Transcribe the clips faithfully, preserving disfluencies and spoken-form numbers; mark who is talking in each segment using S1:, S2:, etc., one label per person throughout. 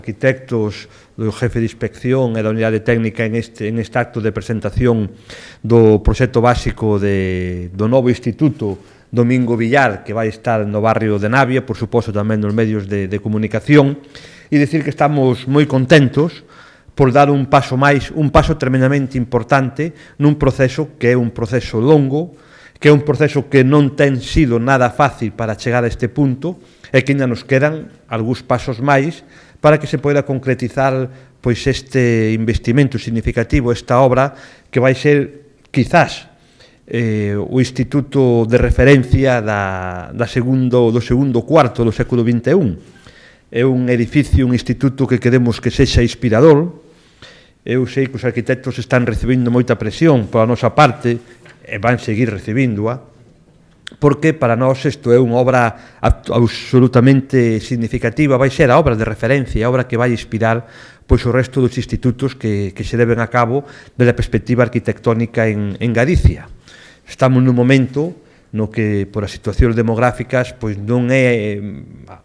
S1: arquitectos, do jefe de inspección e da unidade técnica en este, en este acto de presentación do proxecto básico de, do novo instituto Domingo Villar, que vai estar no barrio de Navia, por suposto tamén nos medios de, de comunicación, e dicir que estamos moi contentos por dar un paso máis, un paso tremendamente importante nun proceso que é un proceso longo, que é un proceso que non ten sido nada fácil para chegar a este punto e que ainda nos quedan algúns pasos máis para que se poida concretizar pois este investimento significativo, esta obra que vai ser, quizás, eh, o instituto de referencia da, da segundo, do segundo cuarto do século vinte e un. É un edificio, un instituto que queremos que sexa inspirador. Eu sei que os arquitectos están recibindo moita presión pola nosa parte e van seguir recibíndoa, porque para nós isto é unha obra absolutamente significativa, vai ser a obra de referencia, a obra que vai inspirar pois o resto dos institutos que, que se deben a cabo desde a perspectiva arquitectónica en, en Galicia. Estamos nun momento no que, por as situacións demográficas, pois non é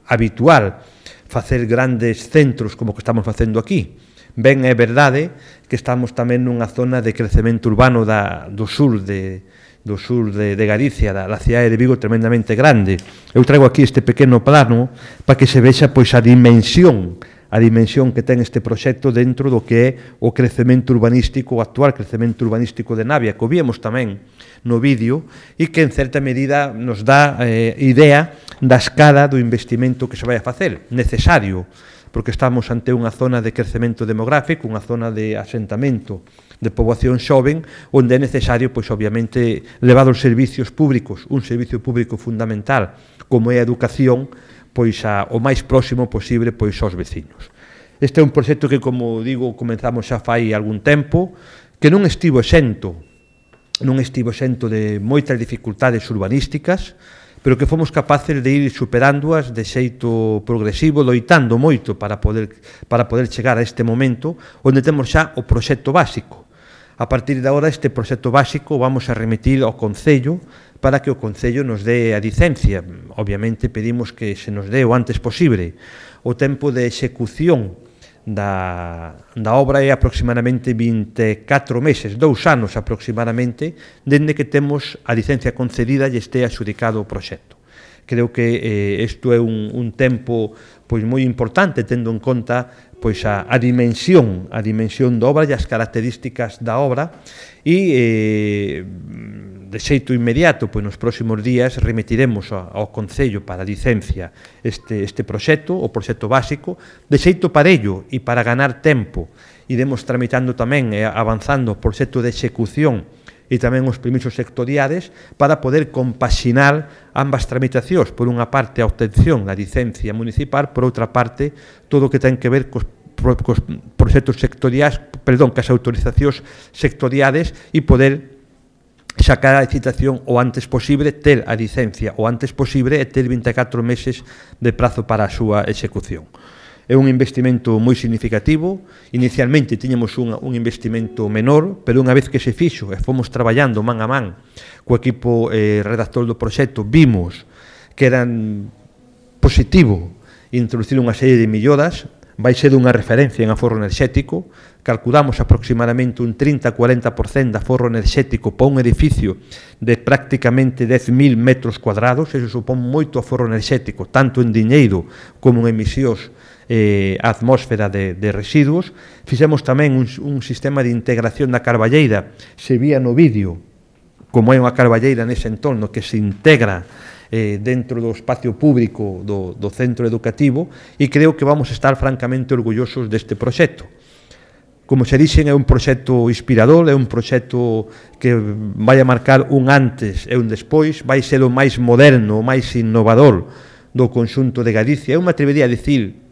S1: habitual facer grandes centros como que estamos facendo aquí. Ben, é verdade que estamos tamén nunha zona de crecemento urbano da, do sur de do sur de, de Galicia, da, da cidade de Vigo tremendamente grande. Eu traigo aquí este pequeno plano para que se vexa pois a dimensión, a dimensión que ten este proxecto dentro do que é o crecemento urbanístico, o actual crecemento urbanístico de Navia, que o víamos tamén no vídeo e que en certa medida nos dá eh, idea da escala do investimento que se vai a facer, necesario, porque estamos ante unha zona de crecemento demográfico, unha zona de asentamento de poboación xoven, onde é necesario, pois, obviamente, levar os servicios públicos, un servicio público fundamental, como é a educación, pois, a, o máis próximo posible, pois, aos vecinos. Este é un proxecto que, como digo, comenzamos xa fai algún tempo, que non estivo exento, non estivo exento de moitas dificultades urbanísticas, pero que fomos capaces de ir superándoas de xeito progresivo, loitando moito para poder, para poder chegar a este momento onde temos xa o proxecto básico. A partir de agora, este proxecto básico vamos a remitir ao Concello para que o Concello nos dé a licencia. Obviamente pedimos que se nos dé o antes posible. O tempo de execución da, da obra é aproximadamente vinte e catro meses, dous anos aproximadamente, dende que temos a licencia concedida e este adxudicado o proxecto. Creo que eh, isto é un, un tempo pois moi importante, tendo en conta pois a, a dimensión, a dimensión da obra e as características da obra e eh, de xeito inmediato, pois nos próximos días remitiremos ao Concello para a licencia este, este proxecto, o proxecto básico, de xeito parello e para ganar tempo. Iremos tramitando tamén e avanzando o proxecto de execución e tamén os permisos sectoriales para poder compaxinar ambas tramitacións, por unha parte a obtención da licencia municipal, por outra parte todo o que ten que ver cos, cos proxectos sectoriais, perdón, cas autorizacións sectoriales e poder sacar a licitación o antes posible, ter a licencia o antes posible e ter vinte e catro meses de prazo para a súa execución. É un investimento moi significativo. Inicialmente tiñamos un, un investimento menor, pero unha vez que se fixo e fomos traballando man a man co equipo eh, redactor do proxecto, vimos que eran positivo introducir unha serie de melloras. Vai ser unha referencia en aforro enerxético. Calculamos aproximadamente un trinta a cuarenta por cento de aforro enerxético para un edificio de prácticamente dez mil metros cuadrados. Eso supón moito aforro enerxético, tanto en diñeiro como en emisións eh, a atmósfera de, de residuos. Fixemos tamén un, un sistema de integración da carballeira. Se vía no vídeo como é unha carballeira nese entorno que se integra eh, dentro do espacio público do, do centro educativo, e creo que vamos a estar francamente orgullosos deste proxecto. Como se dixen, é un proxecto inspirador, é un proxecto que vai a marcar un antes e un despois, vai ser o máis moderno, o máis innovador do conxunto de Galicia. Eu me atrevería a dicir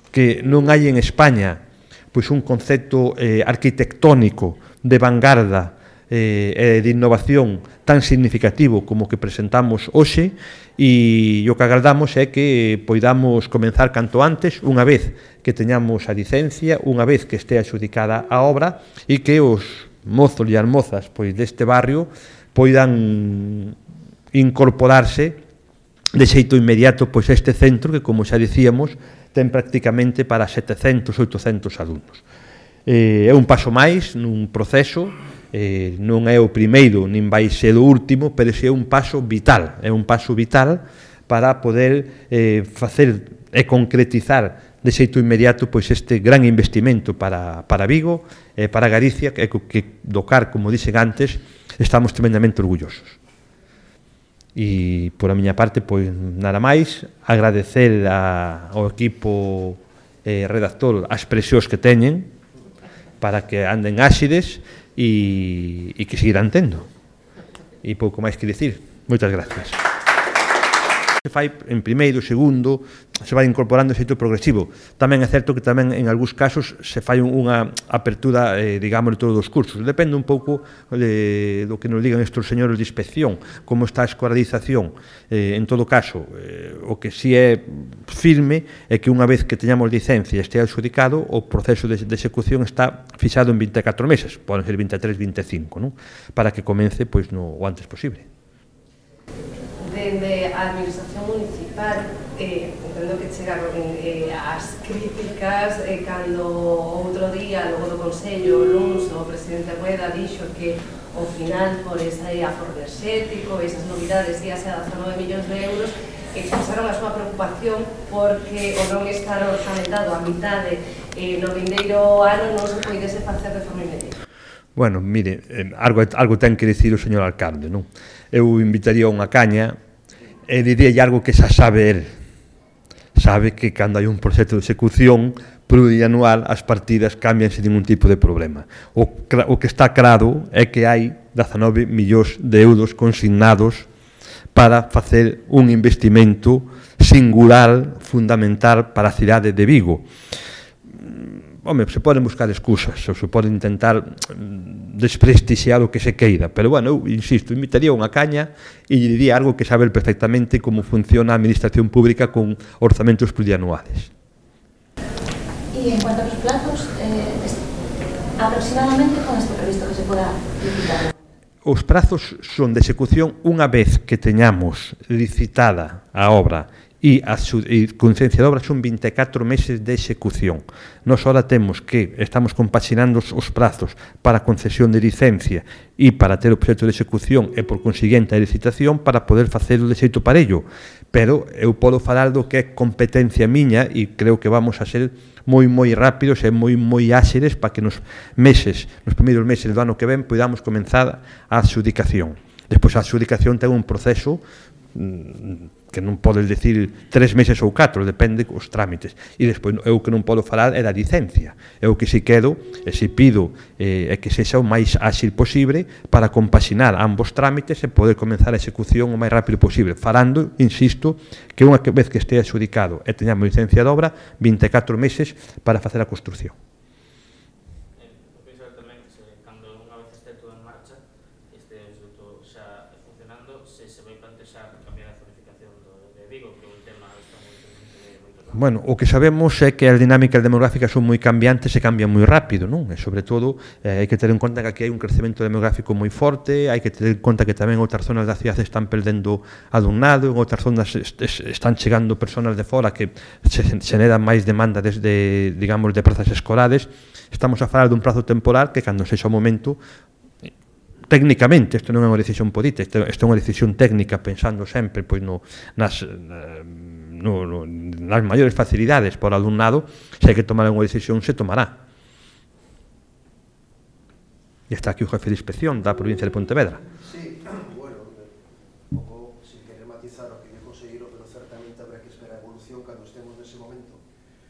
S1: que non hai en España pois un concepto eh, arquitectónico de vanguarda eh, de innovación tan significativo como que presentamos hoxe, e o que agardamos é que poidamos comenzar canto antes, unha vez que teñamos a licencia, unha vez que este adxudicada a obra, e que os mozos e as mozas pois deste barrio poidan incorporarse de xeito inmediato pois a este centro que, como xa dicíamos, ten prácticamente para setecentos, oitocentos alumnos. Eh, é un paso máis nun proceso, eh, non é o primeiro nin vai ser o último, pero é un paso vital, é un paso vital para poder eh, facer e concretizar de xeito inmediato pois este gran investimento para, para Vigo e eh, para Galicia, que, que do car, como dixen antes, estamos tremendamente orgullosos. E por a miña parte, pois nada máis, agradecer a, ao equipo eh, redactor as presións que teñen para que anden áxides e, e que seguirán tendo. E pouco máis que dicir. Moitas gracias. Se fai en primeiro, segundo, se vai incorporando xeito progresivo. Tamén é certo que tamén en algúns casos se fai unha apertura, eh, digamos, de todos os cursos. Depende un pouco de, do que nos digan estes señores de inspección, como está a escolarización. Eh, en todo caso, eh, o que si é firme é que unha vez que teñamos licencia e este adxudicado, o proceso de, de execución está fixado en vinte e catro meses, poden ser vinte e tres, vinte e cinco, non? Para que comece pois, no, o antes posible.
S2: Dende a Administración Municipal, eh, entendo que chegaron eh, as críticas eh, cando outro día, logo do Consello, o luns, o presidente Rueda dixo que ao final, por ese aforro enerxético, esas novidades, íase a dezanove millóns de euros, expresaron a súa preocupación porque o non estar orçamentado a mitade eh, no vindeiro ano non se poidese facer de forma inmediata.
S1: Bueno, mire, eh, algo, algo ten que dicir o señor alcalde, non? Eu invitaría unha caña e diría algo que xa sabe el. Sabe que cando hai un proxecto de execución plurianual as partidas cambian sin ningún tipo de problema. O, o que está claro é que hai dezanove millóns de euros consignados para facer un investimento singular, fundamental para a cidade de Vigo. Home, se poden buscar excusas, ou se poden intentar desprestixiar o que se queira, pero, bueno, eu, insisto, invitaría unha caña e lle diría algo que sabe perfectamente como funciona a administración pública con orzamentos plurianuales.
S3: E en cuanto a los plazos, eh, aproximadamente con este previsto que se poda licitar?
S1: Os prazos son de execución unha vez que teñamos licitada a obra e a conciencia de obra son vinte e catro meses de execución. Nos ahora temos que, estamos compaxinando os prazos para a concesión de licencia e para ter o proxecto de execución e, por consiguiente, a licitación para poder facer o de xeito parello. Pero eu podo falar do que é competencia miña e creo que vamos a ser moi, moi rápidos e moi, moi áxiles para que nos meses, nos primeiros meses do ano que ven, podamos comenzar a adxudicación. Despois, a adxudicación ten un proceso que non podes decir tres meses ou catro, depende os trámites. E despois, eu que non podo falar é da licencia. Eu que si quedo, e si pido, é que sexa o máis áxil posible para compaxinar ambos trámites e poder comenzar a execución o máis rápido posible. Falando, insisto, que unha vez que este adxudicado e teñamos licencia de obra, vinte e catro meses para facer a construción. Bueno, o que sabemos é que as dinámicas demográficas son moi cambiantes e cambian moi rápido, non? E, sobre todo, eh, hai que ter en conta que aquí hai un crecemento demográfico moi forte, hai que ter en conta que tamén outras zonas da cidade están perdendo alumnado, en outras zonas est est están chegando personas de fora que se generan máis demanda desde, digamos, de prazas escolares. Estamos a falar dun prazo temporal que, cando sexa o momento, técnicamente, isto non é unha decisión política, isto é unha decisión técnica, pensando sempre pois, no, nas... No, no, nas maiores facilidades por alumnado, se hai que tomar unha decisión, se tomará. E está aquí o jefe de inspección da provincia de Pontevedra.
S4: Sí, bueno, un pouco, sin querer matizar o que dijo o conselleiro, pero certamente habrá que esperar a evolución cando estemos nese momento.